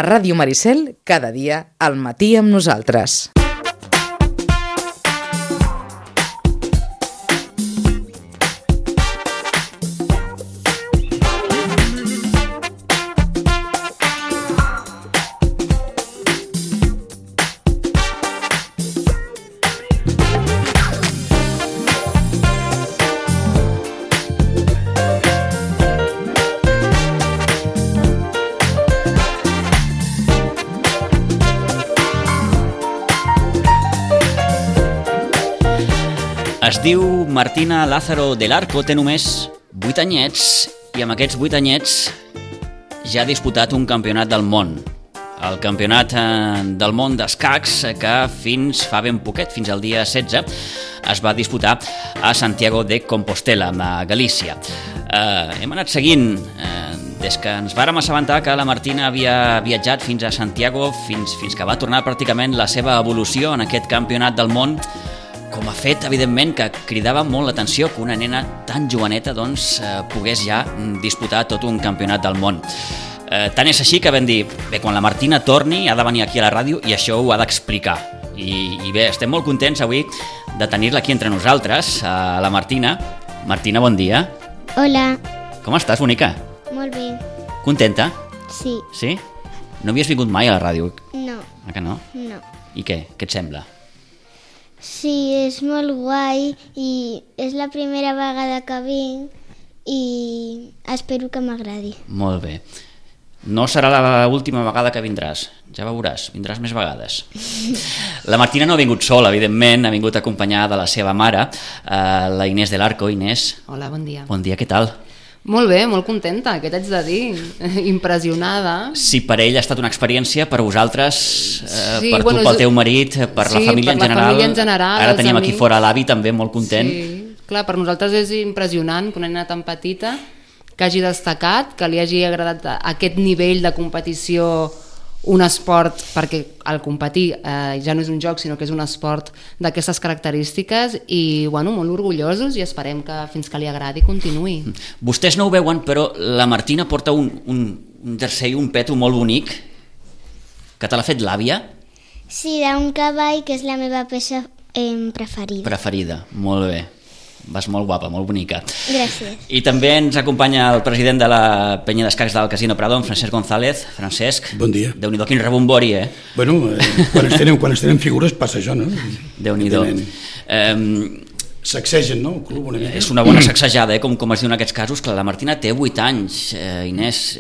A Ràdio Maricel, cada dia, al matí amb nosaltres. Es diu Martina Lázaro del Arco, té només 8 anyets i amb aquests 8 anyets ja ha disputat un campionat del món. El campionat del món d'escacs que fins fa ben poquet, fins al dia 16, es va disputar a Santiago de Compostela, a Galícia. Hem anat seguint des que ens vàrem assabentar que la Martina havia viatjat fins a Santiago, fins que va tornar pràcticament la seva evolució en aquest campionat del món, com a fet, evidentment, que cridava molt l'atenció que una nena tan joveneta pogués ja disputar tot un campionat del món. Tant és així que vam dir, bé, quan la Martina torni ha de venir aquí a la ràdio i això ho ha d'explicar. I bé, estem molt contents avui de tenir-la aquí entre nosaltres, a la Martina. Martina, bon dia. Hola. Com estàs, bonica? Molt bé. Contenta? Sí. Sí? No havies vingut mai a la ràdio? No. Ah, que no? No. I què? Què et sembla? Sí, és molt guai i és la primera vegada que vinc i espero que m'agradi. Molt bé. No serà l'última vegada que vindràs, ja veuràs, vindràs més vegades. La Martina no ha vingut sola, evidentment, ha vingut acompanyada de la seva mare, la Inés del Arco. Inés. Hola, bon dia. Bon dia, què tal? Molt bé, molt contenta, què t'haig de dir? Impressionada. Si per ell ha estat una experiència, per vosaltres, Sí, per tu, pel teu marit, per la família en general. Família en general, ara tenim amics. aquí fora l'avi també molt content. Sí, clar, per nosaltres és impressionant que una nena tan petita que hagi destacat, que li hagi agradat aquest nivell de competició, un esport, perquè el competir ja no és un joc, sinó que és un esport d'aquestes característiques i bueno, molt orgullosos i esperem que fins que li agradi continuï. Vostès no ho veuen, però la Martina porta un jersei, un peto molt bonic, que te l'ha fet l'àvia. Sí, d'un cavall, que és la meva peça preferida. Preferida, molt bé. Vas molt guapa, molt bonica. Gràcies. I també ens acompanya el president de la penya d'escacs del Casino Prado, en Francesc González. Francesc. Bon dia. Déu-n'hi-do, quin rebombori, Bueno, quan es tenen figures passa això, no? Déu-n'hi-do. Sacsegen, no? El club una mica. És una bona sacsejada, com es diu en aquests casos. Clar, la Martina té 8 anys, Inés.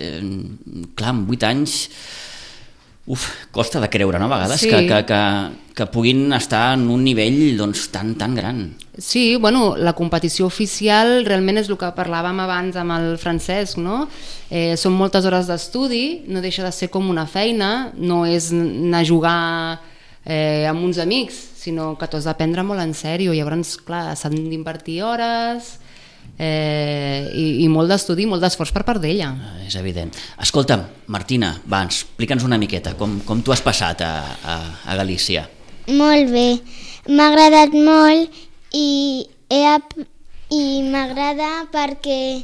Clar, amb 8 anys... costa de creure, no? A vegades Sí. que puguin estar en un nivell tan gran. Sí, bueno, la competició oficial realment és el que parlàvem abans amb el Francesc, no? Són moltes hores d'estudi, no deixa de ser com una feina, no és anar a jugar amb uns amics, sinó que t'ho has de prendre molt en sèrio, llavors, clar, s'han d'invertir hores i molt d'estudi, molt d'esforç per part d'ella. És evident. Escolta'm, Martina, va, explica'ns una miqueta com tu has passat a Galícia. Molt bé. M'ha agradat molt i m'agrada perquè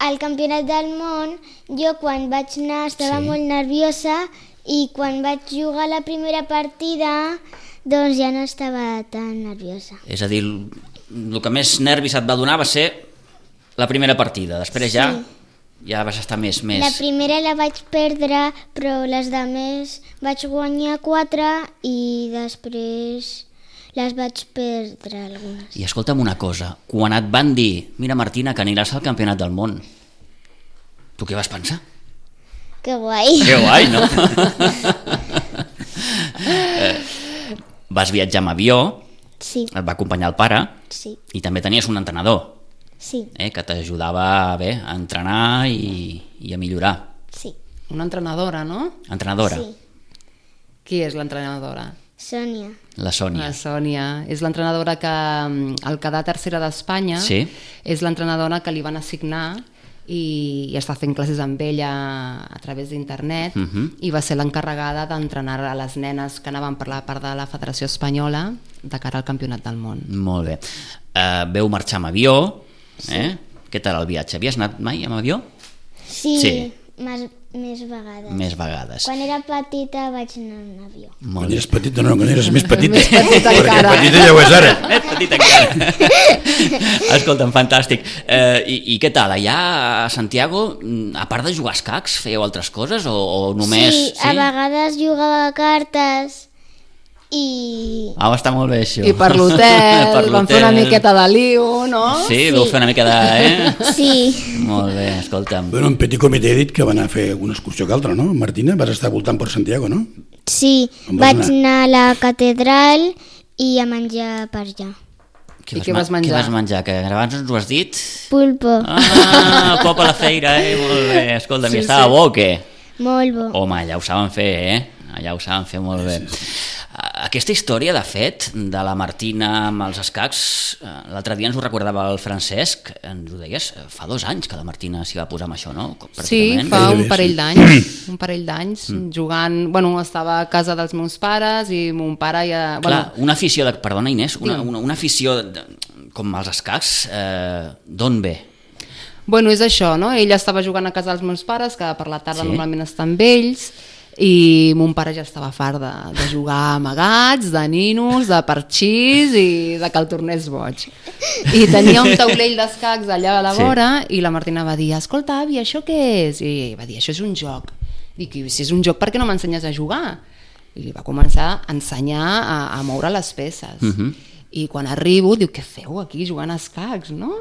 al Campionat del Món jo quan vaig anar estava molt nerviosa i quan vaig jugar la primera partida doncs ja no estava tan nerviosa. És a dir, el que més nervis et va donar va ser la primera partida, després ja vas estar més... La primera la vaig perdre, però les altres vaig guanyar 4 i després les vaig perdre algunes. I escolta'm una cosa, quan et van dir mira Martina, que aniràs al Campionat del Món, tu què vas pensar? Que guai! Que guai, no? Vas viatjar amb avió, Sí, et va acompanyar el pare sí, i també tenies un entrenador sí, que t'ajudava bé a entrenar i a millorar. sí. Una entrenadora, no? Entrenadora, Sí, Qui és l'entrenadora? Sònia. la Sònia. La Sònia. És l'entrenadora que al quedar tercera d'Espanya Sí. és l'entrenadora que li van assignar i està fent classes amb ella a través d'internet i va ser l'encarregada d'entrenar a les nenes que anaven per la part de la Federació Espanyola de cara al Campionat del Món. Molt bé. Veu marxar amb avió, Què tal el viatge? Havies anat mai amb avió? Sí, Sí. més vegades. Més vegades. Quan era petita vaig anar en avió. Quan eres petita, no, quan eres més petita. Més petita perquè encara. petita ja ho és ara. Més petit encara. Escolta'm, fantàstic. I què tal? Allà a Santiago, a part de jugar a escacs, fèieu altres coses o només... Sí, a vegades jugava a cartes i... Ah, està molt bé això. I per l'hotel, vam fer una miqueta de lío, no? Sí, vau fer una mica de... Sí, Molt bé, escolta'm. Bueno, en Petit Comitè he dit que va anar a fer alguna excursió que altra, no? Martina, vas estar voltant per Santiago, no? sí. On vas Vaig anar a la catedral i a menjar per allà. I què vas menjar? Què vas menjar? Que abans ens ho has dit? Pulpo, Pop a la feira, molt bé. Escolta'm, Sí, i estava bo o què? molt bo. Home, allà ho saben fer, Allà ho saben fer molt bé. Aquesta història, de fet, de la Martina amb els escacs, l'altre dia ens ho recordava el Francesc, ens ho deies, fa 2 anys que la Martina s'hi va posar amb això, no? Sí, Pràcticament. fa un Gairebé, parell d'anys, jugant, bueno, estava a casa dels meus pares i mon pare ja... Clar, Bueno, una afició, perdona Inés, Digue'm. una afició com els escacs, d'on ve? bueno, és això, no? Ella estava jugant a casa dels meus pares, que per la tarda Sí. normalment està amb ells, i mon pare ja estava fart de jugar amagats, de ninos, de parxís i de que el tornés boig. I tenia un taulell d'escacs allà a la Sí. vora i la Martina va dir, escolta, avi, això què és? I va dir, això és un joc. Dic, i si és un joc, per què no m'ensenyes a jugar? I li va començar a ensenyar a moure les peces. I quan arribo, diu, què feu aquí jugant a escacs, no?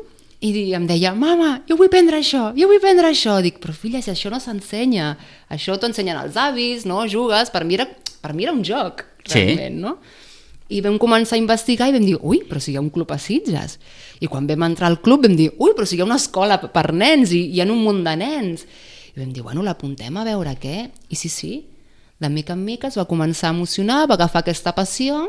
I em deia, mama, jo vull prendre això, jo vull prendre això. Dic, però filla, si això no s'ensenya, això t'ho ensenyen els avis, no? Jugues, per mi era un joc, realment, no? I vam començar a investigar i vam dir, ui, però si hi ha un club a Sitges. I quan vam entrar al club vam dir, ui, però si hi ha una escola per nens i hi ha un munt de nens. I vam dir, bueno, l'apuntem a veure què. I sí, de mica en mica es va començar a emocionar, va agafar aquesta passió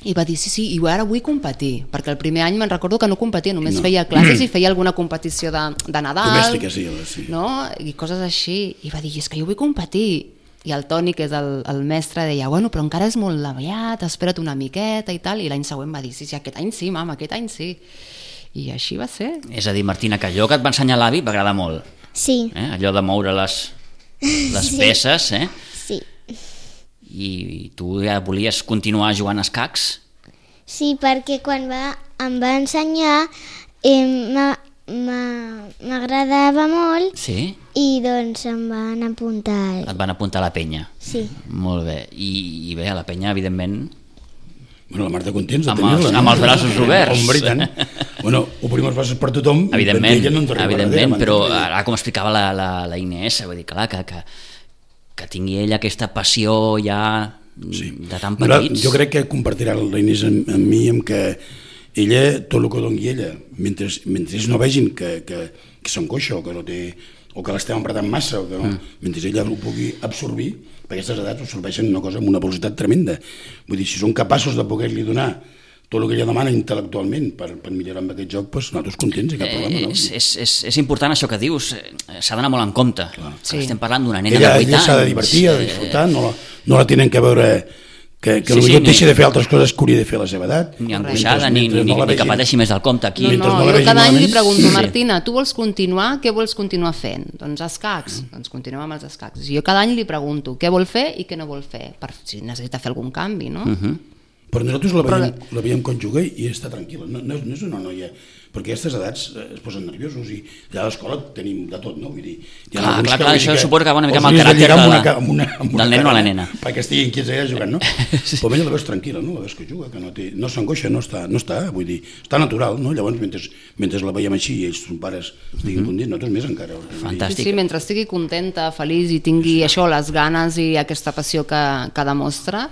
i va dir, sí, i ara vull competir, perquè el primer any me'n recordo que no competia, només feia classes i feia alguna competició de Nadal, Domèstica, sí. no? I coses així, i va dir, és que jo vull competir. I el Toni, que és el mestre, deia, bueno, però encara és molt aviat, espera't una miqueta i tal, i l'any següent va dir, sí, aquest any sí, mama, aquest any sí. I així va ser. És a dir, Martina, que allò que et va ensenyar l'avi m'agrada molt, Sí, allò de moure les peces, sí. I tu ja volies continuar jugant a escacs? Sí, perquè quan em va ensenyar m'agradava molt Sí? i doncs em van apuntar. Et van apuntar a la penya? Sí. Molt bé. I bé, a la penya, evidentment, Bueno, la Marta contents de Amb tenir-la. els- amb els braços oberts. Hombre, i tant. Bueno, obrim els braços per tothom. evidentment, ella no ens arriba evidentment, darrere, però m'entens? ara, com explicava la Inés, vull dir, clar, que tingui ella aquesta passió ja de tan petits. Jo crec que compartirà la Inés amb mi amb que ella, tot el que doni ella, mentre ells no vegin que s'encoixa o que no té o que l'estem apretant massa o que no, mentre ella ho pugui absorbir, perquè aquestes edats absorbeixen una cosa amb una velocitat tremenda. Vull dir, si són capaços de poder-li donar tot el que ella demana intel·lectualment per millorar amb aquest joc, doncs nosaltres contents i cap problema, no? És important això que dius, s'ha d'anar molt en compte. Sí. Estem parlant d'una nena Ella de 8 anys. s'ha de divertir, ha de disfrutar, no la tenen que veure que Sí, potser ni- deixi de fer altres coses que hauria de fer a la seva edat. Ni angoixada, ni Mentre no la que vegin. pateixi més del compte aquí. Mentre no la jo vegin cada any li malament. pregunto, Sí. Martina, tu vols continuar? Què vols continuar fent? Doncs escacs, doncs continuem amb els escacs. I jo cada any li pregunto què vol fer i què no vol fer, per si necessita fer algun canvi, no? Però nosaltres la veiem quan juga i està tranquil·la. No és una noia... Perquè a aquestes edats es posen nerviosos i allà a l'escola tenim de tot, no? Vull dir, hi ha Clar, alguns clar, que clar, vull dir això que suposa que va una mica els amb el hauries de caràcter lligar amb una del nen o la cara, nena. perquè estiguin quiets allà jugant, no? Però ella la veus tranquil·la, no? La veus que juga, que no s'angoixa, no està, vull dir, està natural, no? Llavors, mentre la veiem així i ells, son pares, estiguin contents, nosaltres més encara. Fantàstic. Sí, mentre estigui contenta, feliç i tingui això, les ganes i aquesta passió que demostra,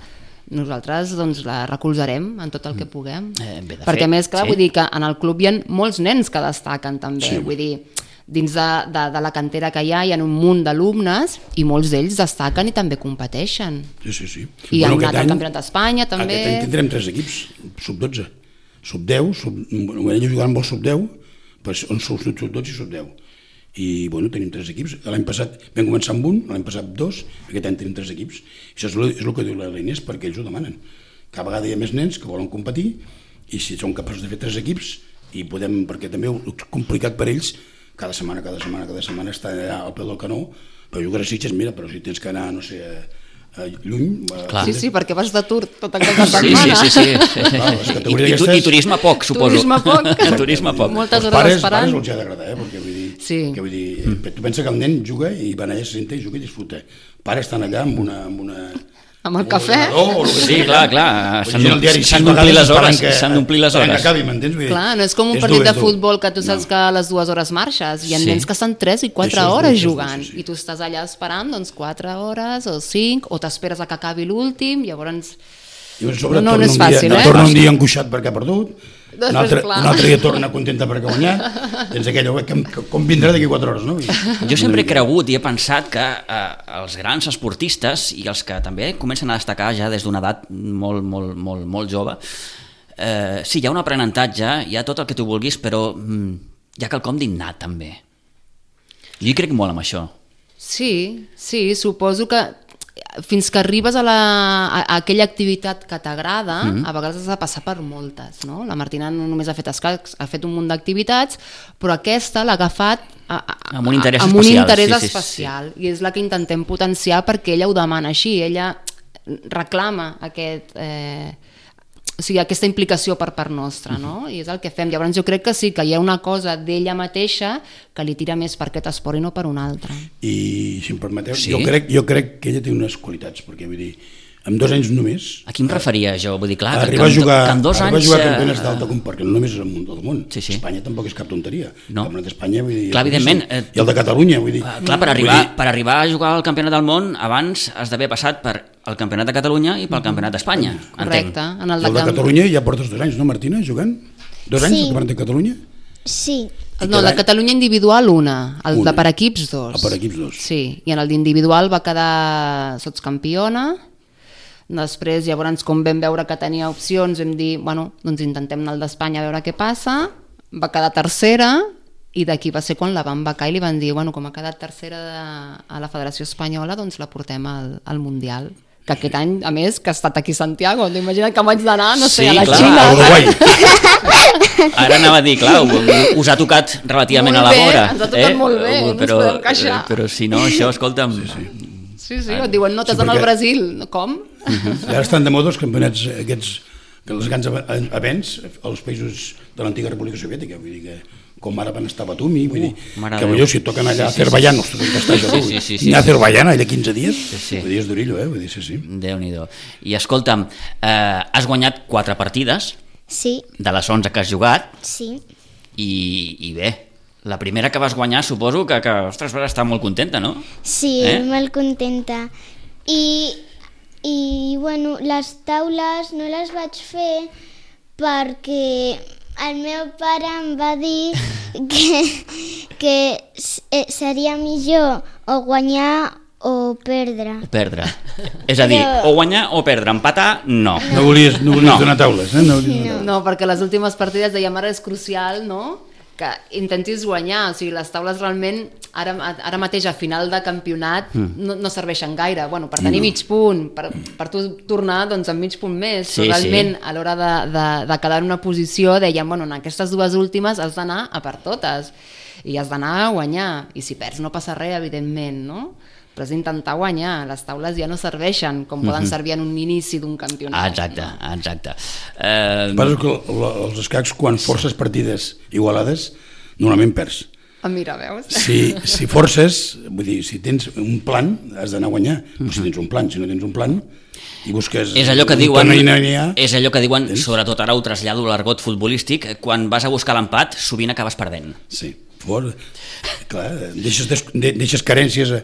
nosaltres doncs, la recolzarem en tot el que puguem. Bé, de Perquè fet, a més, clar, sí. vull dir que en el club hi ha molts nens que destaquen també, Sí. vull dir, dins de la cantera que hi ha un munt d'alumnes i molts d'ells destaquen i també competeixen. Sí. I han aquest anat al any- Campionat d'Espanya també. Aquest any tindrem 3 equips, sub-12, sub-10, bueno, ells jugaran molt sub-10, però on són sub-12 i sub-10. I bueno, tenim 3 equips. L'any passat vam començar amb un, l'any passat 2, aquest any tenim 3 equips. Això és el que diu la Inés, perquè ells ho demanen. Cada vegada hi ha més nens que volen competir i si són capaços de fer 3 equips i podem, perquè també és complicat per ells cada setmana estar allà al peu del canó Per jugar a Sitges, mira, però si tens que anar, no sé, lluny... Sí, perquè vas d'atur tot el cap de setmana. Sí. I turisme poc, suposo. Turisme poc. Moltes hores esperant. Pares els ha d'agradar, perquè vull dir, tu pensa que el nen juga i va allà, se senta i juga i disfruta. Pares estan allà amb una amb el cafè. Sí, clar. S'han d'omplir les hores. S'han d'omplir les hores. Acabi, m'entens? Clar, no és com un partit de futbol que tu saps que a les 2 hores marxes. Hi ha nens que estan 3 i 4 hores jugant i tu estàs allà esperant 4 hores o 5 o t'esperes a que acabi l'últim, llavors... No és fàcil, torna un dia angoixat perquè ha perdut, un altre dia torna contenta perquè ha guanyat, tens aquella, com vindrà d'aquí 4 hores, no? Jo sempre he cregut i he pensat que els grans esportistes i els que també comencen a destacar ja des d'una edat molt jove, sí, hi ha un aprenentatge, hi ha tot el que tu vulguis, però hi ha quelcom d'innat també. Jo hi crec molt en això. Sí, suposo que fins que arribes a aquella activitat que t'agrada, a vegades has de passar per moltes, no? La Martina no només ha fet escacs, ha fet un munt d'activitats, però aquesta l'ha agafat amb un interès especial. I és la que intentem potenciar perquè ella ho demana així, ella reclama aquesta implicació per part nostra, no? I és el que fem. Llavors jo crec que sí, que hi ha una cosa d'ella mateixa que li tira més per aquest esport i no per un altre. I si em permeteu, jo crec que ella té unes qualitats, perquè vull dir, amb 2 anys només... A qui em referia jo? Vull dir, clar, arribar a jugar campionats d'alta perquè no només és el món del món. Espanya tampoc és cap tonteria. El campionat d'Espanya, vull dir... Clar, evidentment. I el de Catalunya, vull dir... Clar, per arribar a jugar al campionat del món, abans has d'haver passat per el campionat de Catalunya i pel campionat d'Espanya. Correcte. I el de Catalunya ja portes 2 anys, no, Martina, jugant? 2 anys el campionat de Catalunya? Sí. No, el de Catalunya individual el de per equips 2. Per equips 2. Sí, i en el d'individual va quedar sotscampiona. Després, llavors, com vam veure que tenia opcions, vam dir, doncs intentem anar al d'Espanya a veure què passa. Va quedar tercera i d'aquí va ser quan la van becar i li van dir, com ha quedat tercera a la Federació Espanyola, doncs la portem al Mundial. Que aquest any, a més, que ha estat aquí a Santiago. Imagina't que vaig d'anar, no sé, a la Xina. A Uruguai. Ara anava a dir, clar, us ha tocat relativament a la vora. Ens ha tocat molt bé, no ens podem queixar. Però si no, això, escolta'm... Sí, et diuen, no, t'has d'anar al Brasil. Com? I ara estan de moda els campionats aquests, els grans events als països de l'antiga República Soviètica, vull dir que com ara van estar a Batumi, vull dir que potser si toquen allà a Azerbaiyán, ni a Azerbaiyán allà 15 dies, vull dir, és d'orillo, vull dir, sí. Déu-n'hi-do. I escolta'm, has guanyat 4 partides de les 11 que has jugat i bé, la primera que vas guanyar suposo que ostres, vas estar molt contenta, no? Sí, molt contenta. I bueno, les taules no les vaig fer perquè el meu pare em va dir que seria millor o guanyar o perdre. És a dir, o guanyar o perdre, empatar, no. No volies donar taules, eh? No, perquè les últimes partides dèiem ara és crucial, no?, que intentis guanyar, o sigui, les taules realment ara mateix a final de campionat no serveixen gaire, per tenir mig punt, per tu tornar doncs amb mig punt més, però realment a l'hora de quedar en una posició dèiem, en aquestes 2 últimes has d'anar a per totes i has d'anar a guanyar, i si perds no passa res, evidentment, no? Però és intentar guanyar, les taules ja no serveixen com poden servir en un inici d'un campionat. Exacte. Passa que els escacs, quan forces partides igualades, normalment perds. Mira, veus? Si forces, vull dir, si tens un plan, has d'anar a guanyar. Si tens un plan, si no tens un plan, i busques... És allò que diuen, sobretot ara ho trasllado a l'argot futbolístic, quan vas a buscar l'empat, sovint acabes perdent. Sí. Clar, deixes carències a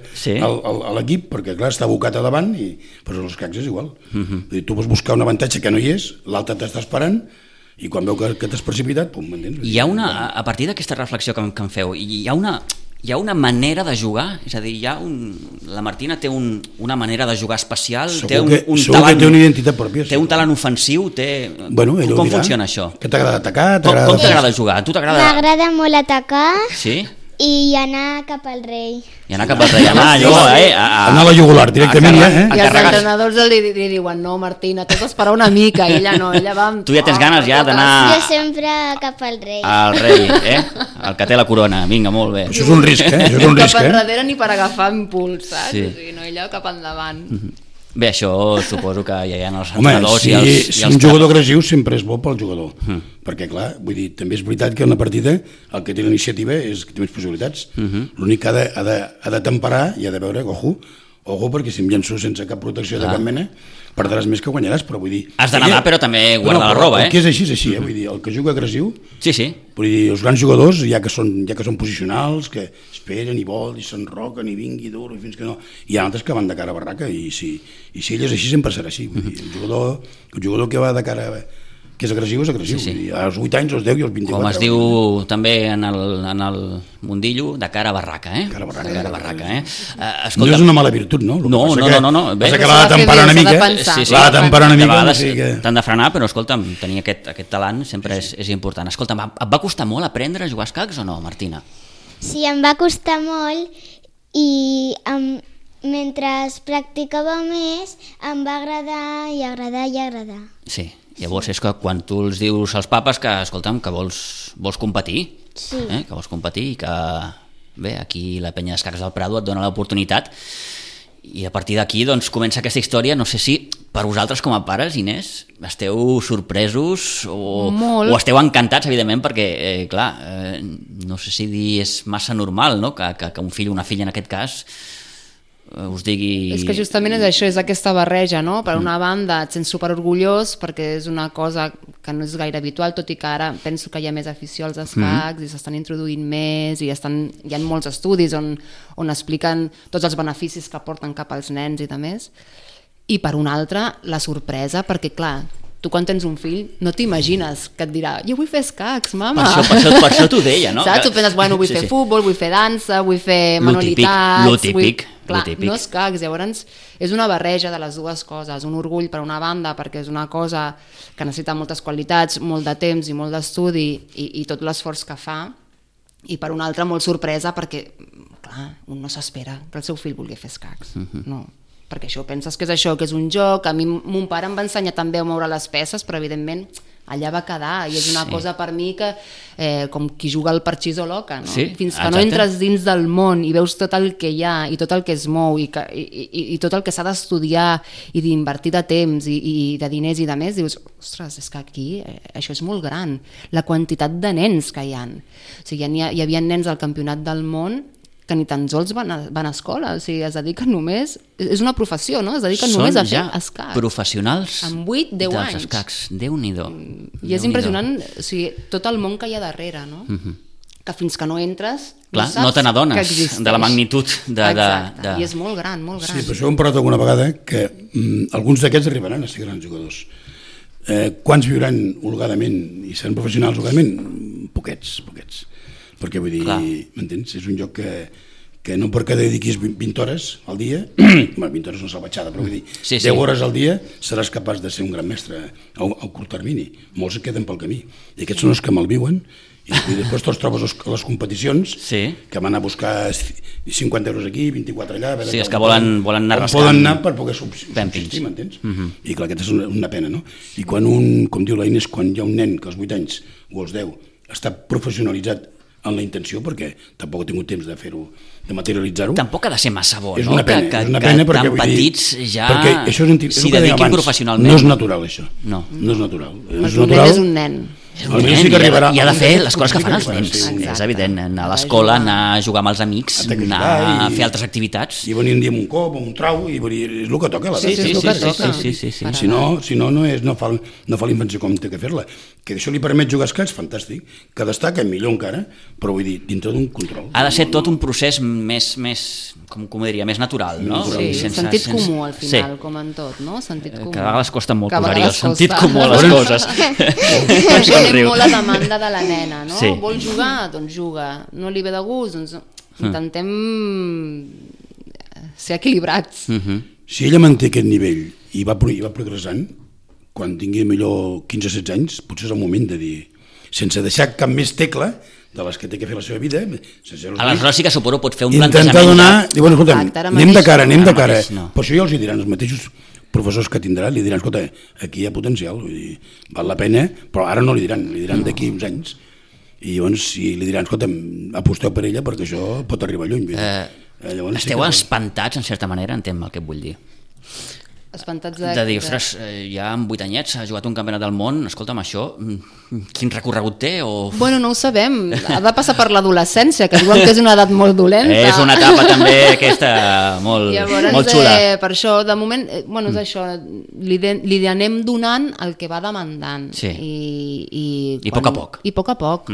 l'equip perquè clar, està abocat a davant però els escacs és igual. Tu vols buscar un avantatge que no hi és, l'altre t'està esperant i quan veu que t'has precipitat, m'entens? Hi ha a partir d'aquesta reflexió que em feu, hi ha una manera de jugar, és a dir, la Martina té una manera de jugar especial, té un talent, té una identitat pròpia, té un talent ofensiu, com funciona això? Que t'agrada atacar? Com t'agrada jugar? A tu t'agrada? M'agrada molt atacar. Sí? i anar cap al rei. I anar cap al rei, anar allò, anar a la jugular directament, ja, I els entrenadors li diuen, no, Martina, t'has d'esperar una mica, i ella no, ella va... Tu ja tens ganes ja d'anar... Jo sempre cap al rei. Al rei, el que té la corona, vinga, molt bé. Això és un risc, això és un risc, Cap enrere ni per agafar impuls, saps? Sí. O sigui, no, ella cap endavant. Bé, això suposo que ja hi ha els home, entrenadors si, i els... si un jugador agressiu sempre és bo pel jugador, perquè clar, vull dir, també és veritat que en la partida el que té la iniciativa és que té més possibilitats. L'únic que ha de temperar i ha de veure, ojo, perquè si em llenço sense cap protecció de cap mena, perdràs més que guanyaràs, però vull dir... Has de nedar, però també guardar la roba, El que és així, vull dir, el que juga agressiu... Sí, sí. Vull dir, els grans jugadors, ja que són posicionals, que esperen i volen, i s'enroquen, i vingui dur, i fins que no... Hi ha altres que van de cara a barraca, i si ell és així, sempre serà així. Vull dir, el jugador que va de cara... que és agressiu, és agressiu. Sí, sí. Als 8 anys, als 10 i als 24. Com es diu també en el mundillo, de cara a barraca, Cara a barraca. De cara a barraca, No és una mala virtut, no? No. Passa que l'ha de temperar una mica. L'ha de temperar una mica. T'han de frenar, però escolta'm, tenir aquest talent sempre és important. Escolta'm, et va costar molt aprendre a jugar a escacs o no, Martina? Sí, em va costar molt i mentre practicava més em va agradar i agradar i agradar. Sí, llavors és que quan tu els dius als papes que, escolta'm, que vols competir, sí. Que vols competir i que, bé, aquí la penya d'escacs del Prado et dona l'oportunitat i a partir d'aquí doncs comença aquesta història. No sé si per vosaltres com a pares, Inés, esteu sorpresos o esteu encantats, evidentment, perquè, clar, no sé si dir és massa normal, no?, que un fill o una filla en aquest cas us digui... És que justament és això, és aquesta barreja, no? Per una banda et sents superorgullós perquè és una cosa que no és gaire habitual, tot i que ara penso que hi ha més afició als escacs i s'estan introduint més i hi ha molts estudis on expliquen tots els beneficis que porten cap als nens i de més. I per una altra, la sorpresa, perquè clar, tu quan tens un fill no t'imagines que et dirà jo vull fer escacs, mama. Per això t'ho deia, no? Saps? Tu penses, bueno, vull fer futbol, vull fer dansa, vull fer manualitats... Lo típic. Clar, no escacs, llavors és una barreja de les dues coses, un orgull per una banda perquè és una cosa que necessita moltes qualitats, molt de temps i molt d'estudi i tot l'esforç que fa, i per una altra molt sorpresa perquè, clar, un no s'espera que el seu fill vulgui fer escacs, no, perquè això penses que és això, que és un joc. A mi mon pare em va ensenyar també a moure les peces, però evidentment allà va quedar i és una cosa per mi que com qui juga al parxís o l'oca, no? Sí, fins que no entres dins del món i veus tot el que hi ha i tot el que es mou i tot el que s'ha d'estudiar i d'invertir de temps i de diners i de més, dius, ostres, és que aquí això és molt gran, la quantitat de nens que hi ha. O sigui, hi havia nens al campionat del món que ni tan sols van a escola, o sigui, es dediquen només, és una professió, no? Es dediquen només a fer escacs. Són ja professionals amb 8-10 dels anys. escacs, Déu-n'hi-do. I és impressionant, o sigui, tot el món que hi ha darrere, no? Que fins que no entres, clar, no te n'adones de la magnitud de... I és molt gran, molt gran. Sí, per això hem parlat alguna vegada que alguns d'aquests arribaran a ser grans jugadors. Quants viuran holgadament i seran professionals holgadament? Poquets. Perquè vull dir, m'entens? És un joc que no perquè dediquis 20 hores al dia, 20 hores no salvatjada, però vull dir, 10 hores al dia seràs capaç de ser un gran mestre a curt termini. Molts et queden pel camí. I aquests són els que malviuen i després te'ls trobes a les competicions que van a buscar 50 euros aquí, 24 allà... Sí, és que volen anar rascant. Poden anar per poder subsistir, m'entens? I clar, aquesta és una pena, no? I quan com diu la Inés, quan hi ha un nen que als 8 anys o als 10 està professionalitzat en la intenció, perquè tampoc he tingut temps de fer-ho, de materialitzar-ho. Tampoc ha de ser massa bo, és no? Una pena, és una pena perquè tan petits ja s'hi dediquin professionalment. No és natural, això. No és natural. El nen és un nen. I ha de fer les coses que fan els nens, és evident, anar a l'escola, anar a jugar amb els amics, anar a fer altres activitats. I venir un dia amb un cop, amb un trau, i és el que toca. Sí. Si no, no fa la invenció com té que fer-la. Que això li permet jugar a escacs, fantàstic, que destaca millor encara, però vull dir, dintre d'un control. Ha de ser tot un procés més com diria, més natural, no? Sí, sentit comú al final, com en tot, no? Sentit comú. Que a vegades costa molt posar-hi el sentit comú a les coses. Per això tenim molt la demanda de la nena, no? Vol jugar? Doncs juga. No li ve de gust? Doncs intentem ser equilibrats. Si ella manté aquest nivell i va progressant, quan tingui millor 15 o 16 anys, potser és el moment de dir, sense deixar cap més tecla, de les que té que fer la seva vida. Aleshores sí que suposo pot fer un intentar plantejament. donar... Diuen, escolta, anem de cara. no. Però això ja els hi diran els mateixos professors que tindran, li diran, escolta, aquí hi ha potencial, vull dir, val la pena, però ara no li diran d'aquí uns anys. I llavors si li diran, escolta, aposteu per ella perquè això pot arribar lluny. Llavors, esteu espantats, en certa manera, entenc el que et vull dir. Espantats de dir, ostres, ja amb 8 anyets ha jugat un campionat del món, escolta'm, això, quin recorregut té? Bueno, no ho sabem, ha de passar per l'adolescència, que diuen que és una edat molt dolenta. És una etapa també aquesta molt xula. Per això, de moment, bueno, és això, li anem donant el que va demandant. Sí. I a poc a poc. I a poc a poc.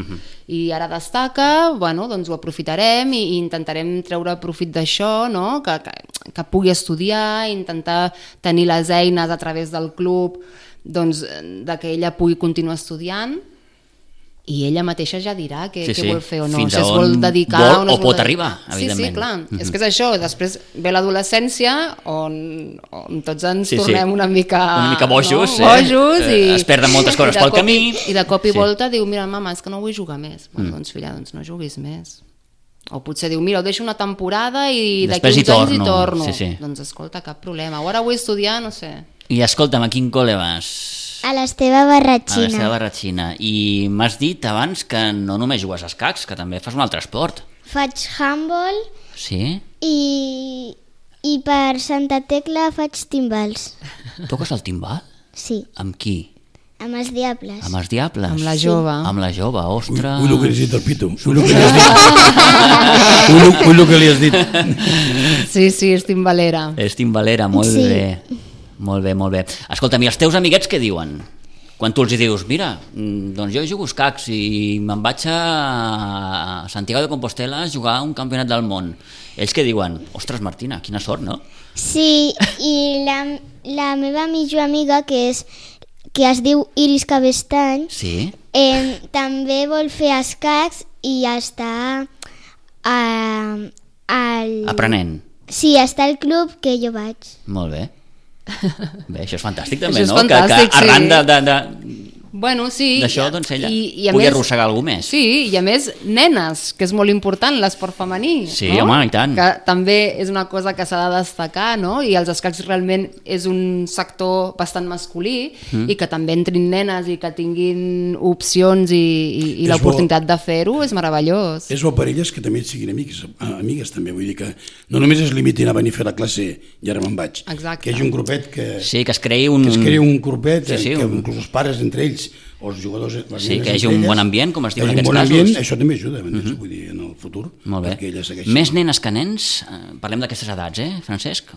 I ara destaca, bueno, doncs ho aprofitarem i intentarem treure profit d'això, no? Que pugui estudiar, intentar tenir les eines a través del club, doncs, de que ella pugui continuar estudiant, i ella mateixa ja dirà què vol fer o no. Fins si es vol dedicar vol o pot arribar, evidentment. Sí, clar. És que és això, després ve l'adolescència on tots ens tornem una mica bojos, es perden moltes coses pel camí. I de cop i volta diu, mira, mama, és que no vull jugar més. Doncs filla, no juguis més. O potser diu, mira, ho deixo una temporada i d'aquí uns anys hi torno. Doncs escolta, cap problema. Ara vull estudiar, no sé. I escolta'm, a quin col·le vas? A l'Esteve Barratxina. A l'Esteve Barratxina. I m'has dit abans que no només jugues a escacs, que també fas un altre esport. Faig handball. Sí? I per Santa Tecla faig timbals. Toques el timbal? Sí. Amb qui? Amb els Diables. Amb els Diables? Amb la jove. Amb la jove, ostres. Ull el que li has dit al Pitu. Ull el que li has dit. Sí, és timbalera. És timbalera, molt bé. Molt bé, molt bé. Escolta'm, i els teus amiguets què diuen? Quan tu els dius, mira, doncs jo jugo escacs i me'n vaig a Santiago de Compostela a jugar un campionat del món. Ells què diuen? Ostres, Martina, quina sort, no? Sí, i la meva millor amiga, que es diu Iris Cabestany, sí? també vol fer escacs i està aprenent. Sí, està al club que jo vaig. Molt bé. Bé, això és fantàstic també, no? Fantàstic, que arran bueno, sí, d'això doncs ella pugui arrossegar algú més. Sí, i a més nenes, que és molt important l'esport femení. Sí, no? Home, i tant. Que també és una cosa que s'ha de destacar, no? I els escacs realment és un sector bastant masculí i que també entrin nenes i que tinguin opcions i l'oportunitat de fer-ho és meravellós. És bo per elles que també siguin amigues també, vull dir que no només es limitin a venir a fer la classe i ara me'n vaig. Exacte. Que hi hagi un grupet que... Sí, que es creï un grupet, que inclús els pares entre ells o els jugadors, sí, que hi hagi un bon ambient, com es diu en aquests casos. Ambient, això també ajuda, vull dir, en el futur. Molt bé. Més nenes que nens? Parlem d'aquestes edats, Francesc?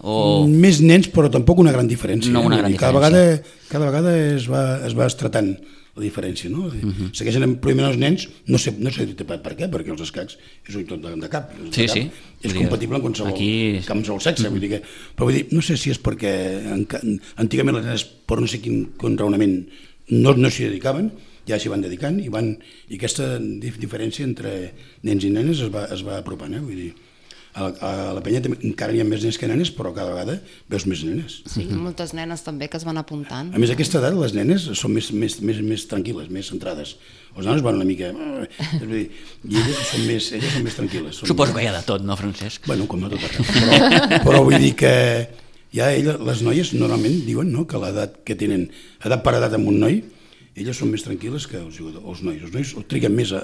Més nens, però tampoc una gran diferència. No una gran diferència. Cada vegada es va estratant la diferència, no? Segueixen primer els nens, no sé per què, perquè els escacs és un tot de cap. Sí. És compatible amb qualsevol sexe, vull dir que... Però vull dir, no sé si és perquè antigament les nenes, per no sé quin raonament, no s'hi dedicaven, ja s'hi van dedicant i aquesta diferència entre nens i nenes es va apropant, vull dir, a la penya encara hi ha més nens que nenes, però cada vegada veus més nenes. Sí, moltes nenes també que es van apuntant. A més, a aquesta edat les nenes són més tranquil·les, més centrades. Els nanos van una mica... I elles són més tranquil·les. Suposo que hi ha de tot, no, Francesc? Bueno, com no tot arreu. Però vull dir que ja les noies normalment diuen que l'edat que tenen, edat per edat amb un noi, elles són més tranquil·les que els nois. Els nois triguen més a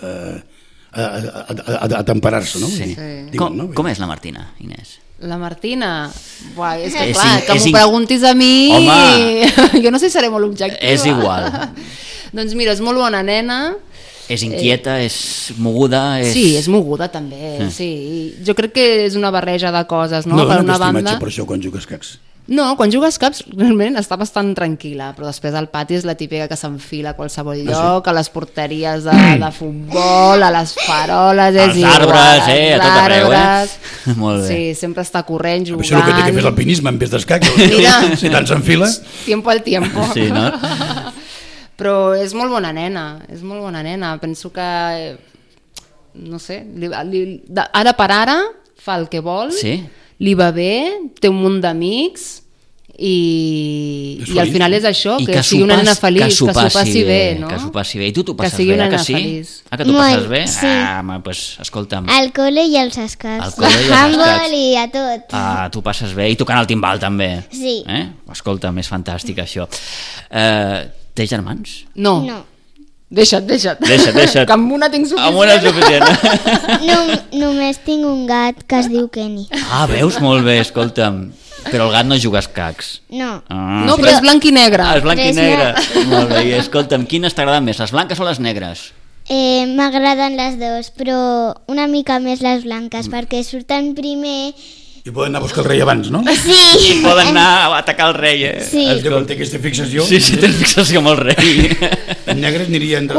temperar-se, no? Sí. Com és la Martina, Inés? La Martina? Buah, és que clar, que m'ho preguntis a mi... Home! Jo no sé si seré molt objectiva. És igual. Doncs mira, és molt bona nena. És inquieta, és moguda... Sí, és moguda també, sí. Jo crec que és una barreja de coses, no? No dona aquesta imatge per això quan jugues escacs. No, quan jugues caps realment està bastant tranquil·la, però després al pati és la típica que s'enfila a qualsevol lloc, a les porteries de futbol, a les faroles, és igual. Als arbres, a tot arreu, Molt bé. Sí, sempre està corrent, jugant... Això és el que té que fer l'alpinisme en vez d'escacs, si tant s'enfila. Tiempo al tiempo. Sí, no? Però és molt bona nena, penso que, no sé, ara per ara fa el que vol, sí. Li va bé, té un munt d'amics i al final és això, I que sigui una nena feliç, que s'ho passi bé, no? Que s'ho passi bé. I tu t'ho passes sigui bé, una que nena sí? feliç. Que t'ho passes bé? Sí. Doncs escolta'm. Al col·le i als escacs. Al col·le i als Handball escacs. i a tot. T'ho passes bé i tocant el timbal també. Sí. Escolta'm, és fantàstic això. Tens germans? No. Deixa't. Deixa't. Que amb una tinc suficient. Amb una és suficient. Només tinc un gat que es diu Kenny. Veus? Molt bé, escolta'm. Però el gat no juga a escacs. No. No, però és blanc i negre. És blanc i negre. Molt bé, i escolta'm, quines t'agraden més, les blanques o les negres? M'agraden les dues, però una mica més les blanques, perquè surten primer. I poden anar a buscar el rei abans, no? Sí. Poden anar a atacar el rei, Sí. Es diu que té aquesta fixació. Sí, tens fixació amb el rei. En negres aniria entre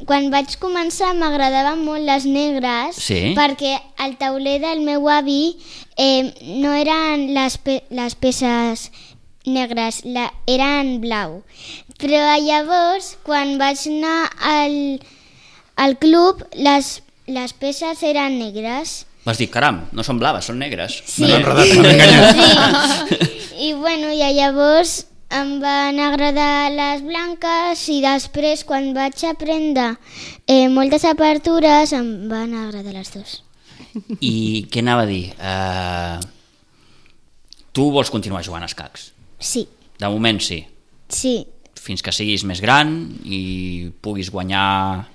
Quan vaig començar m'agradaven molt les negres, Sí. perquè al tauler del meu avi no eren les peces negres, eren blau. Però llavors, quan vaig anar al club, les peces eren negres. Vas dir, caram, no són blaves, són negres. Sí. M'han enredat, m'han enganyat. Sí. I llavors em van agradar les blanques i després, quan vaig aprendre moltes apertures, em van agradar les dues. I què anava a dir? Tu vols continuar jugant a escacs? Sí. De moment sí. Sí. Fins que siguis més gran i puguis guanyar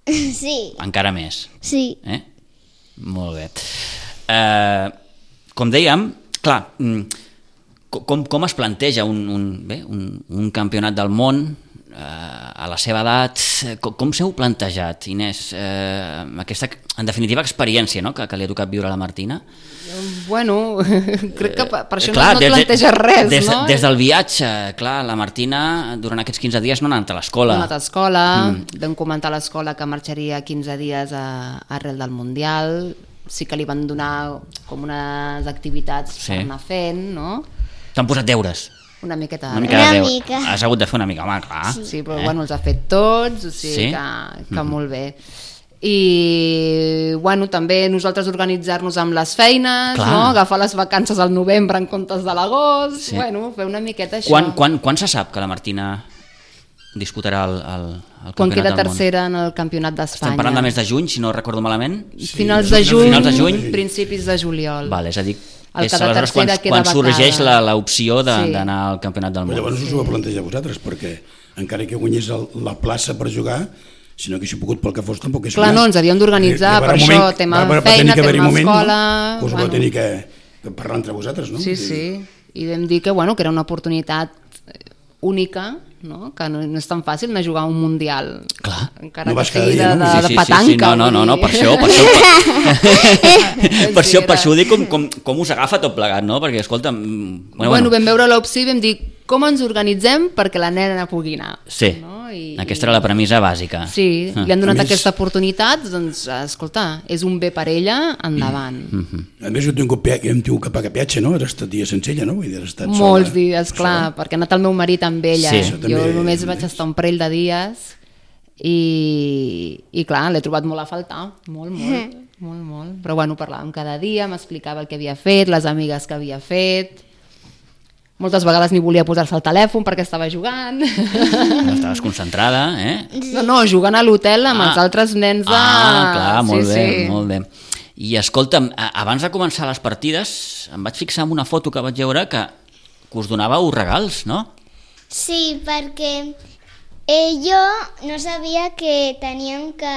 Sí. encara més. Sí. Molt bé. Com dèiem, clar, com es planteja un campionat del món a la seva edat? Com s'heu plantejat, Inés, aquesta, en definitiva, experiència, no?, que li ha tocat viure a la Martina? Bueno, crec que per això no et planteges res, no? Des del viatge, clar, la Martina durant aquests 15 dies no ha anat a l'escola. No ha anat a l'escola, vam comentar a l'escola que marxaria 15 dies arrel del Mundial, sí que li van donar com unes activitats per anar fent, no? T'han posat deures? Una miqueta. Una mica. Has hagut de fer una mica, home, clar. Sí, però bueno, els ha fet tots, o sigui que molt bé. I bueno, també nosaltres organitzar-nos amb les feines, no? Agafar les vacances al novembre en comptes de l'agost, bueno, fer una miqueta això. Quan se sap que la Martina disputarà el Campionat del Món? Quan queda tercera en el Campionat d'Espanya. Estem parlant de mes de juny, si no recordo malament? Finals de juny, principis de juliol. Vale, és a dir, és aleshores quan sorgeix l'opció d'anar al Campionat del Món. Llavors us ho va plantejar vosaltres, perquè encara que guanyés la plaça per jugar, si no haguéssiu pogut pel que fos, tampoc és... Clar, no, ens havíem d'organitzar per això, tema feina, tema escola... Us ho va tenir que parlar entre vosaltres, no? Sí, i vam dir que era una oportunitat única, no? Que no és tan fàcil anar a jugar a un Mundial. Clar. Encara que sigui de petanca. No, per això ho dic com us agafa tot plegat, no? Perquè, escolta'm... Bueno, vam veure l'opció i vam dir com ens organitzem perquè la nena pugui anar. Sí, aquesta era la premissa bàsica. Sí, li han donat aquesta oportunitat, doncs, escolta, és un bé per ella, endavant. A més, hem tingut que pagar peatge, no? Has estat dies sense ella, no? Molts dies, clar, perquè ha anat el meu marit amb ella. Jo només vaig estar un parell de dies i clar, l'he trobat molt a faltar, molt. Però bueno, parlàvem cada dia, m'explicava el que havia fet, les amigues que havia fet. Moltes vegades ni volia posar-se al telèfon perquè estava jugant. No estaves concentrada, No, jugant a l'hotel amb els altres nens de... clar, molt bé. I escolta'm, abans de començar les partides em vaig fixar en una foto que vaig veure que us donàveu regals, no? Sí, perquè jo no sabia que teníem que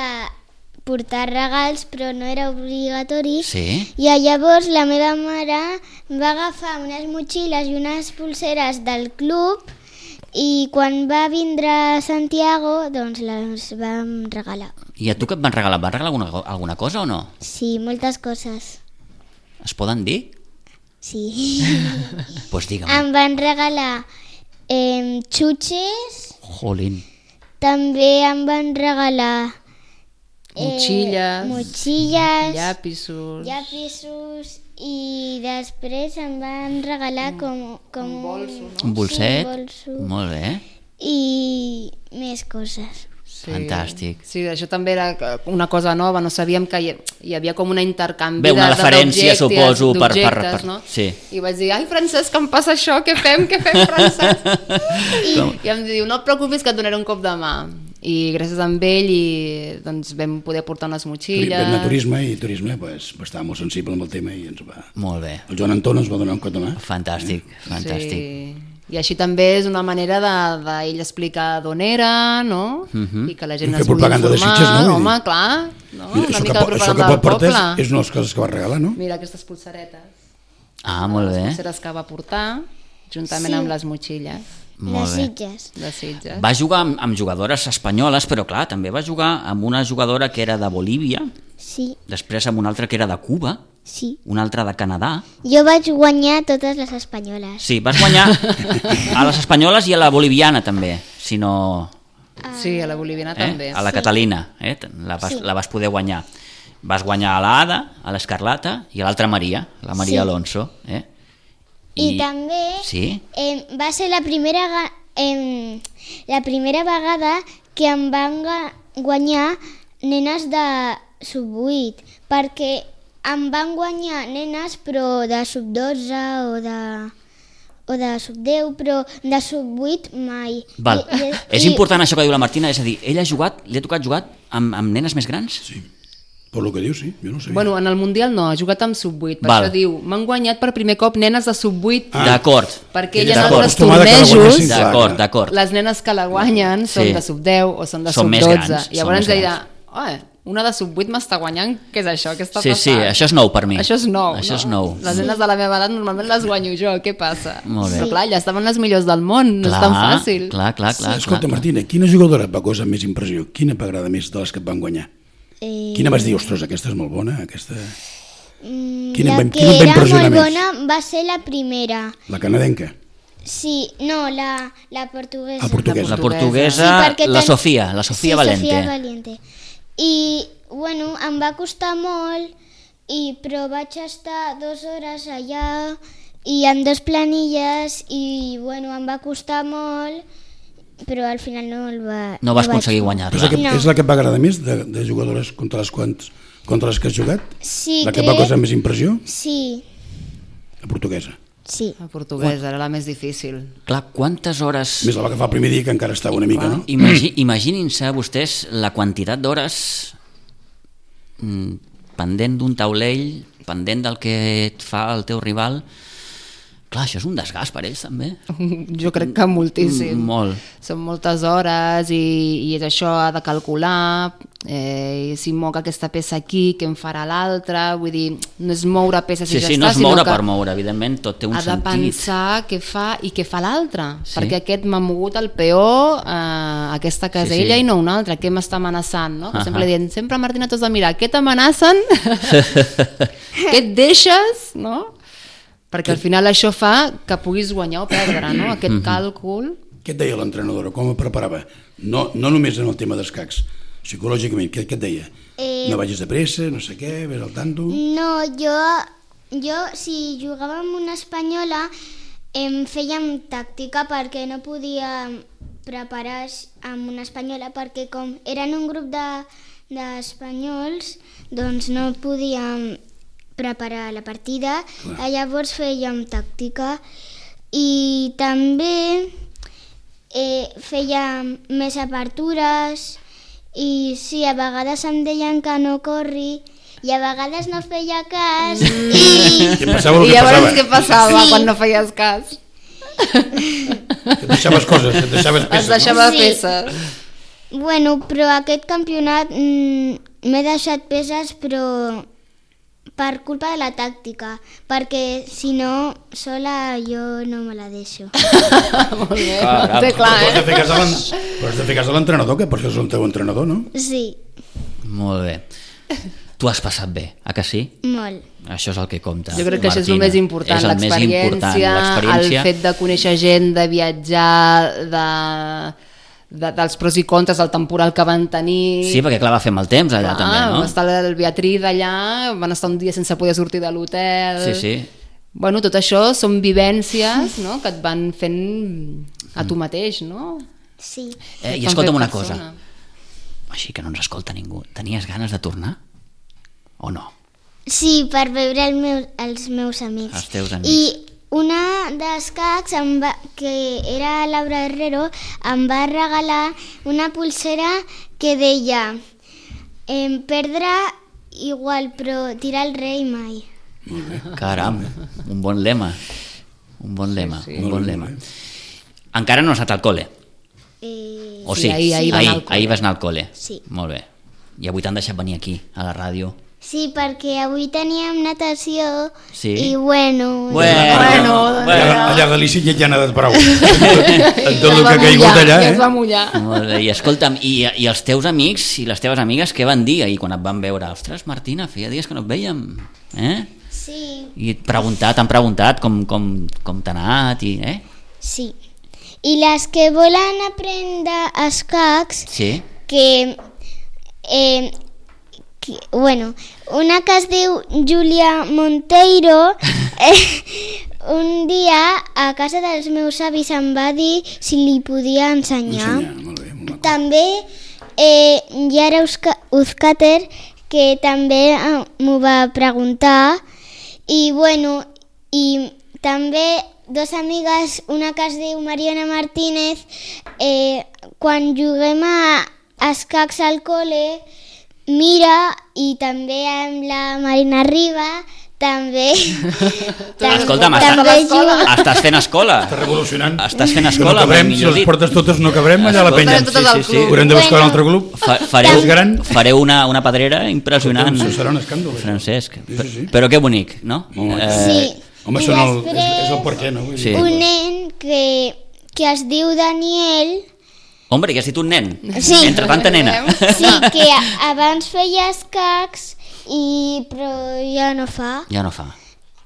portar regals, però no era obligatori. Sí. I llavors la meva mare va agafar unes motxilles i unes pulseres del club i quan va vindre a Santiago, doncs les vam regalar. I a tu què et van regalar? Et van regalar alguna cosa o no? Sí, moltes coses. Es poden dir? Sí. Pues digue'm. Em van regalar xutxes. Jolín. També em van regalar motxilles, llapisos i després em van regalar com un bolso, no? Un bolset? Sí, un bolso. Molt bé. I més coses. Fantàstic. Sí, això també era una cosa nova, no sabíem que hi havia com una intercanvi Bé, una referència, suposo, d'objectes, no? Sí. I vaig dir, ai, Francesc, que em passa això, què fem, Francesc? I em diu, no et preocupis que et donaré un cop de mà. I gràcies a ell doncs, vam poder portar unes motxilles. Vam anar a turisme pues, estava molt sensible amb el tema i ens va... Molt bé. El Joan Anton ens va donar un cop de mà. Fantàstic, fantàstic. Sí. I així també és una manera d'ell explicar d'on era, no? I que la gent es pugui informar. De Sitges, no? Home, clar, no? Mira, una mica de propaganda del poble. És una de les coses que va regalar, no? Mira aquestes pulseretes. Ah, molt bé. Les pulseres que va portar, juntament amb les motxilles. Molt bé. De Sitges. Va jugar amb jugadores espanyoles, però clar, també va jugar amb una jugadora que era de Bolívia, Sí, després amb una altra que era de Cuba, sí. una altra de Canadà. Jo vaig guanyar totes les espanyoles. Sí, vas guanyar a les espanyoles i a la boliviana també, si no... Sí, a la boliviana també. A la Catalina, la vas poder guanyar. Vas guanyar a l'Ada, a l'Escarlata i a l'altra Maria, la Maria Alonso. I també va ser la primera vegada que em van guanyar nenes de sub-8, perquè em van guanyar nenes però de sub-12 o de sub-10, però de sub-8 mai. Val. És important això que diu la Martina, és a dir, ell li ha tocat jugar amb nenes més grans? Sí. Per lo que diu, sí, jo no sé. Bueno, en el Mundial no, ha jugat amb sub-8, per això diu, m'han guanyat per primer cop nenes de sub-8. D'acord. Perquè ella en altres tornejos, d'acord. les nenes que la guanyen són de sub-10 o són de sub-12. Llavors deia, una de sub-8 m'està guanyant, què és això? Què està passant? Sí, això és nou per mi. Això és nou, això és nou. Les nenes de la meva edat normalment les guanyo jo, què passa? Molt bé. Però clar, ja estaven les millors del món, no és tan fàcil. Clar. Escolta, Martina, quina jugadora et va causar més impressió? Quina t'agrada més de les que et van guanyar? Quina vas dir, ostres, aquesta és molt bona, aquesta... La que era molt bona va ser la primera. La canadenca? Sí, no, la portuguesa. La portuguesa, la Sofia Valente. Sofia Valiente. I, bueno, em va costar molt, però vaig estar 2 hores allà i amb 2 planilles i, bueno, em va costar molt, però al final no vas aconseguir guanyar-la. És la que et va agradar més de jugadores contra les que has jugat? Sí, la que et va causar més impressió? Sí. La portuguesa? Sí. La portuguesa era la més difícil. Clar, quantes hores... Més la va agafar el primer dia, que encara estava una mica, no? Imaginin-se vostès la quantitat d'hores pendent d'un taulell, pendent del que et fa el teu rival... Clar, això és un desgast per ells, també. Jo crec que moltíssim. Molt. Són moltes hores i és això, ha de calcular, si moc aquesta peça aquí, què en farà l'altra, vull dir, no és moure peces i ja està, no és moure per moure, evidentment, tot té un sentit. Ha de pensar què fa i què fa l'altre, perquè aquest m'ha mogut el peó, aquesta casella i no una altra, què m'està amenaçant, no? Sempre dient, sempre Martina t'has de mirar, què t'amenacen? Què et deixes, no? Perquè al final això fa que puguis guanyar o perdre, no? Aquest càlcul. Què et deia l'entrenadora? Com et preparava? No només en el tema d'escacs, psicològicament, què et deia? No vagis de pressa, no sé què, ves al tanto... No, jo si jugava amb una espanyola em fèiem tàctica perquè no podia preparar amb una espanyola perquè com eren un grup d'espanyols doncs no podíem preparar la partida, llavors fèiem tàctica i també fèiem més apertures i sí, a vegades em deien que no corri i a vegades no feia cas I llavors què passava quan no feies cas? Et deixaves coses, et deixaves peces. Es deixava peces. Bueno, però aquest campionat m'he deixat peces però per culpa de la tàctica, perquè si no, sola jo no me la deixo. Molt bé, té clar, Però has de fer cas a l'entrenador, que per això és el teu entrenador, no? Sí. Molt bé. Tu has passat bé, que sí? Molt. Això és el que compta. Jo crec que això és el més important, l'experiència, el fet de conèixer gent, de viatjar, dels pros i contres del temporal que van tenir. Sí, perquè clar, va fer mal temps allà també, no? Va estar el Beatriz allà, van estar un dia sense poder sortir de l'hotel. Sí. Bueno, tot això són vivències, no?, que et van fent a tu mateix, no? Sí. I escolta'm una cosa, Així que no ens escolta ningú. Tenies ganes de tornar? O no? Sí, per veure els meus amics. Els teus amics. I una d'escacs, que era Laura Herrero, em va regalar una pulsera que deia perdre igual, però tirar el rei mai. Caram, un bon lema. Un bon lema, Sí. un bon lema. Encara no has anat al col·le? O sí? ahir va anar al col·le. Ahir vas anar al col·le. Sí. Molt bé. I avui t'han deixat venir aquí, a la ràdio. Sí, perquè avui teníem natació Sí. i bueno... Allà a Galícia ja han anat prou. En tot el que ha caigut allà, Ja es va mullar. Molt bé. I escolta'm, i els teus amics i les teves amigues què van dir ahir quan et van veure? Ostres, Martina, feia dies que no et vèiem. Sí, I t'han preguntat com t'ha anat i... sí. I les que volen aprendre escacs, Sí? bueno, una que es diu Júlia Monteiro, un dia a casa dels meus avis em va dir si li podia ensenyar. Molt bé, molt maco. També Yara Uzcater, que també m'ho va preguntar, i bueno, i també dos amigues, una que es diu Mariana Martínez, quan juguem a escacs al col·le, mira, i també amb la Marina Riba, també... Escolta'm, també juga. estàs fent escola. Estàs revolucionant. Estàs fent Que no escola, cabrem, si millor les dit. portes totes no cabrem allà a la penya. Totes al club. Haurem de buscar un altre club. Fareu una pedrera impressionant. Això serà un escàndol. això. Francesc. Sí. Però que bonic, no? Molt maco. Sí. Home, I és el per què, no? Vull dir, Sí. Un nen que es diu Daniel, Hombre, que has dit un nen. Sí. Entre tanta nena. sí, que abans feia escacs, però ja no fa. Ja no fa.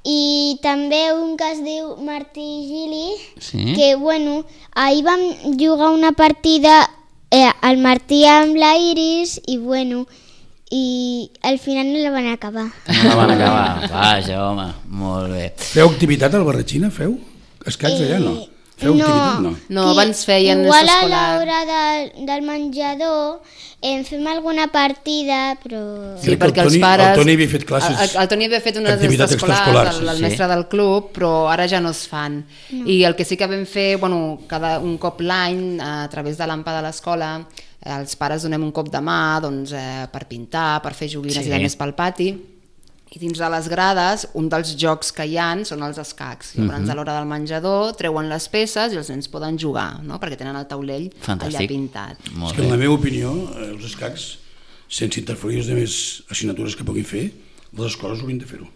I també un que es diu Martí Gili, Sí? que bueno, ahir vam jugar una partida el Martí amb la Iris i bueno, i al final no la van acabar. No la van acabar. Vaja, home, molt bé. Feu activitat al Barratxina, feu? Escacs allà, no? Feu activitat, no? No, abans feien igual a escolar. l'hora del menjador fem alguna partida, però... Sí, Crec que perquè el els Toni- pares... el Toni havia fet classes, El Toni havia fet unes activitats extraescolars, extraescolars, el sí. mestre del club, però ara ja no es fan. I el que sí que vam fer, bueno, un cop l'any, a través de l'AMPA de l'escola, els pares donem un cop de mà doncs, per pintar, per fer joguines Sí. i de més pel pati. I dins de les grades, un dels jocs que hi ha són els escacs. Llavors, a l'hora del menjador, treuen les peces i els nens poden jugar, no? Perquè tenen el taulell Fantàstic. allà pintat. Molt És que en la bé. meva opinió, els escacs, sense interferir les més assignatures que puguin fer, les escoles haurien de fer-ho.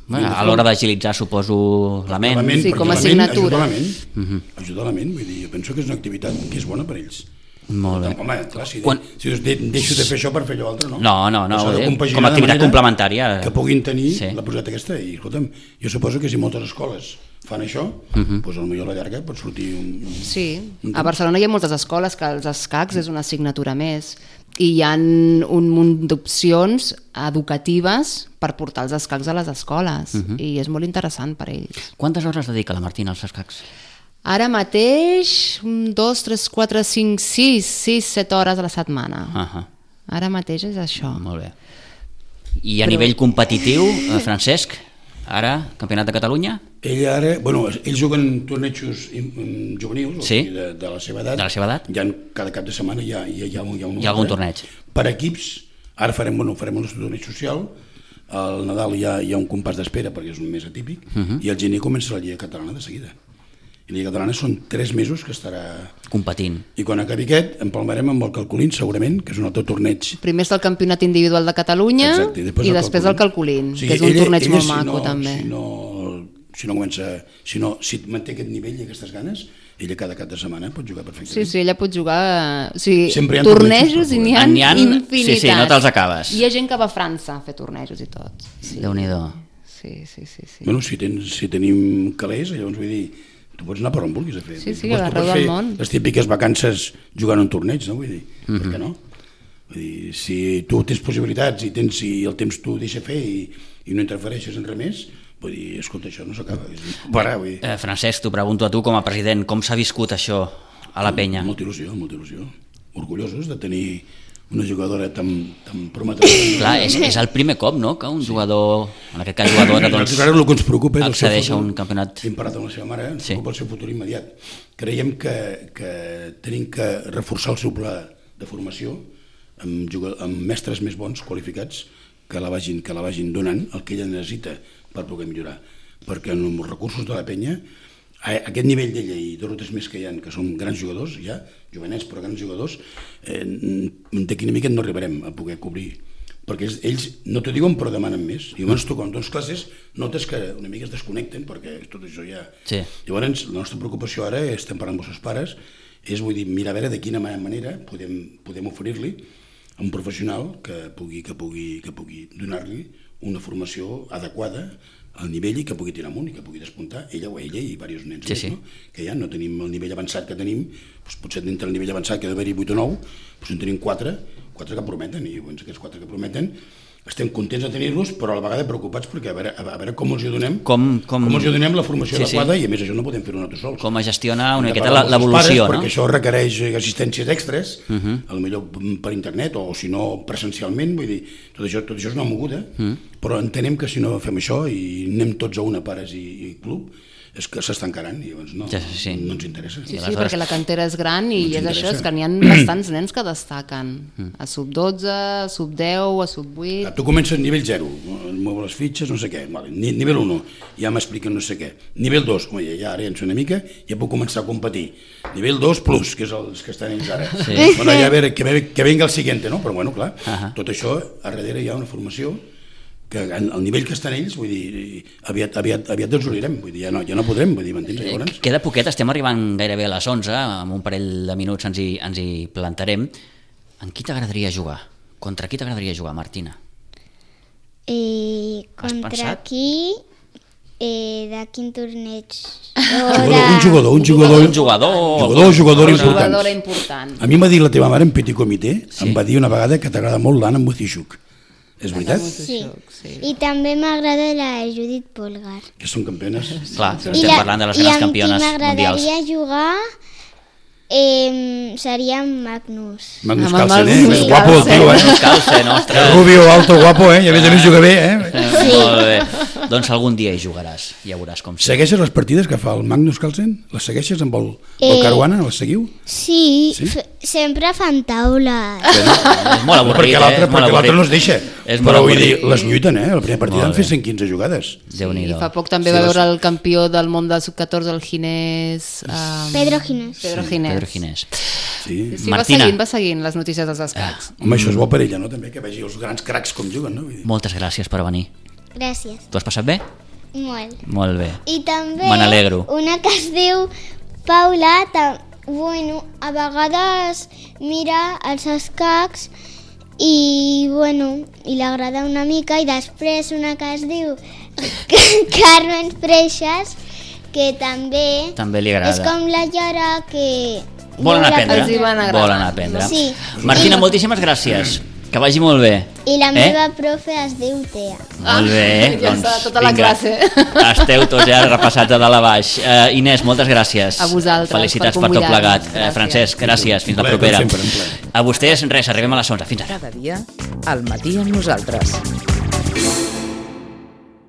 Bueno, a l'hora d'agilitzar, suposo, la ment. Sí, perquè com a la ment assignatura. Ajuda la ment, ajuda la ment, vull dir, jo penso que és una activitat que és bona per ells. Molt bé. Home, clar, si Quan- deixo de fer això per fer allò altre, no? No, S'ha de compaginar com a de activitat manera complementària. Que puguin tenir Sí. la posada aquesta. I, escolta'm, jo suposo que si moltes escoles fan això, doncs potser a la llarga pot sortir un... Sí, a Barcelona hi ha moltes escoles que els escacs és una assignatura més i hi ha un munt d'opcions educatives per portar els escacs a les escoles i és molt interessant per ells. Quantes hores dedica la Martina als escacs? Ara mateix 2, 3, 4, 5, 6, 7 hores a la setmana. Ahà. Ara mateix és això. Molt bé. I a nivell competitiu, Francesc, ara, Campionat de Catalunya? Ells juguen tornejos juvenils, o Sí. sigui, de la seva edat. De la seva edat? Cada cap de setmana hi ha un Hi ha algun torneig. Per equips, ara farem el nostre torneig social, al Nadal hi ha un compàs d'espera perquè és un mes atípic, i al gener comença la Lliga Catalana de seguida. I la Lliga Catalana són 3 mesos que estarà... Competint. I quan acabi aquest, empalmarem amb el Calcolín, segurament, que és un altre torneig. Primer està el Campionat Individual de Catalunya Exacte, i després el Calculín, que és un torneig molt maco també. Si manté aquest nivell i aquestes ganes, ella cada cap de setmana pot jugar perfectament. Sí, ella pot jugar... Sí, Sempre hi ha tornejos tornejos, i n'hi N'hi ha ha- infinitats. sí, no te'ls acabes. Hi ha gent que va a França a fer tornejos i tot. Sí. Déu-n'hi-do. Sí. Bueno, si tenim calés, llavors vull dir, tu pots anar per on vulguis a fer. Sí, Tu pots arreu del fer món. les típiques vacances jugant a un torneig, no? Vull dir, per què no? Vull dir, si tu tens possibilitats i el temps t'ho deixa fer i no interfereixes en res més, vull dir, escolta, això no s'acaba. Vull dir, Francesc, t'ho pregunto a tu com a president, com s'ha viscut això a la penya? Molta il·lusió, molta il·lusió. orgullosos de tenir una jugadora tan prometedora. Clar, és el primer cop, no?, que un jugador, en aquest cas jugadora, doncs, ara el que ens preocupa és accedeix a un campionat. Hem parlat amb la seva mare, ens preocupa el seu futur immediat. Creiem que tenim que reforçar el seu pla de formació amb mestres més bons, qualificats, que la vagin donant el que ella necessita per poder millorar. Perquè amb els recursos de la penya, a aquest nivell d'ella i dos o tres més que hi ha, que són grans jugadors, ja, jovenets però grans jugadors, d'aquí una mica no arribarem a poder cobrir, perquè ells no t'ho diuen però demanen més, i llavors tu quan dones classes notes que una mica es desconnecten perquè tot això ja... Sí. Llavors la nostra preocupació ara, estem parlant amb els seus pares, és vull dir, mirar a veure de quina manera podem oferir-li a un professional que pugui donar-li una formació adequada al nivell i que pugui tirar amunt i que pugui despuntar ella o ella i diversos nens més, no? Que ja no tenim el nivell avançat que tenim, doncs potser dintre el nivell avançat que ha d'haver-hi 8 o 9, doncs en tenim 4 que prometen, i doncs aquests 4 que prometen estem contents de tenir-los, però a la vegada preocupats perquè a veure com els hi donem com els hi donem la formació adequada, i a més això no podem fer-ho nosaltres sols. Com a gestionar una miqueta l'evolució, no? Perquè això requereix assistències extres, potser per internet o si no presencialment, vull dir, tot això és una moguda, però entenem que si no fem això i anem tots a una, pares i club, és que s'estancaran i llavors no ens interessa. Sí, perquè la cantera és gran i és això, és que n'hi ha bastants nens que destaquen a sub-12, a sub-10, a sub-8... Tu comences nivell 0, mou les fitxes, no sé què, nivell 1, ja m'expliquen no sé què, nivell 2, ja ara en una mica, ja puc començar a competir, nivell 2 plus, que és els que estan ells ara, bueno, ja a veure, que venga el siguiente, no? Però bueno, clar, tot això, a darrere hi ha una formació que al nivell que estan ells, vull dir, aviat ens oblirem, vull dir, ja no podrem, vull dir, m'entens? Llavors... Queda poquet, estem arribant gairebé a les 11, amb un parell de minuts ens hi plantarem. En qui t'agradaria jugar? Contra qui t'agradaria jugar, Martina? Contra qui? De quin torneig? Un jugador important. A mi m'ha dit la teva mare en petit comitè, em va dir una vegada que t'agrada molt l'Anna Mutixuk. És veritat? Sí. I també m'agrada la Judit Polgar. Que són campiones. Clar, estem parlant de les grans campiones mundials. I amb qui m'agradaria jugar seria Magnus. Magnus Carlsen, és guapo el tio, Magnus Carlsen, ostres. Rubio, alto, guapo, i a més juga bé, Sí. Molt bé. Doncs algun dia hi jugaràs, ja veuràs com. Segueixes les partides que fa el Magnus Carlsen? Les segueixes amb el Caruana? Les seguiu? Sí, sempre fan taules. És molt avorrit, perquè l'altre no es deixa. Però vull dir, les lluiten, la primera partida han fet 115 jugades. I fa poc també va veure el campió del món del sub-14, el Ginés... Pedro Ginés. Sí, va seguint les notícies dels escacs. Home, això és bo per ella, no? També que vegi els grans cracs com juguen, no? Moltes gràcies per venir. Gràcies. Tu has passat bé? Molt. Molt bé. I també me n'alegro. Una que es diu Paula, bueno, a vegades mira els escacs i l'agrada una mica, i després una que es diu Carmen Freixas, que també li agrada. És com la Yara, que volen aprendre. Sí. Martina, moltíssimes gràcies. Que vagi molt bé. I la meva profe es diu Tea. Molt bé. Ja està, tota la classe. Esteu tots ja repassats de dalt a baix. Inés, moltes gràcies. A vosaltres. Felicitats per tot plegat. Francesc, gràcies. Fins la propera. A vostès, res, arribem a les 11. Fins ara. Cada dia, al matí amb nosaltres.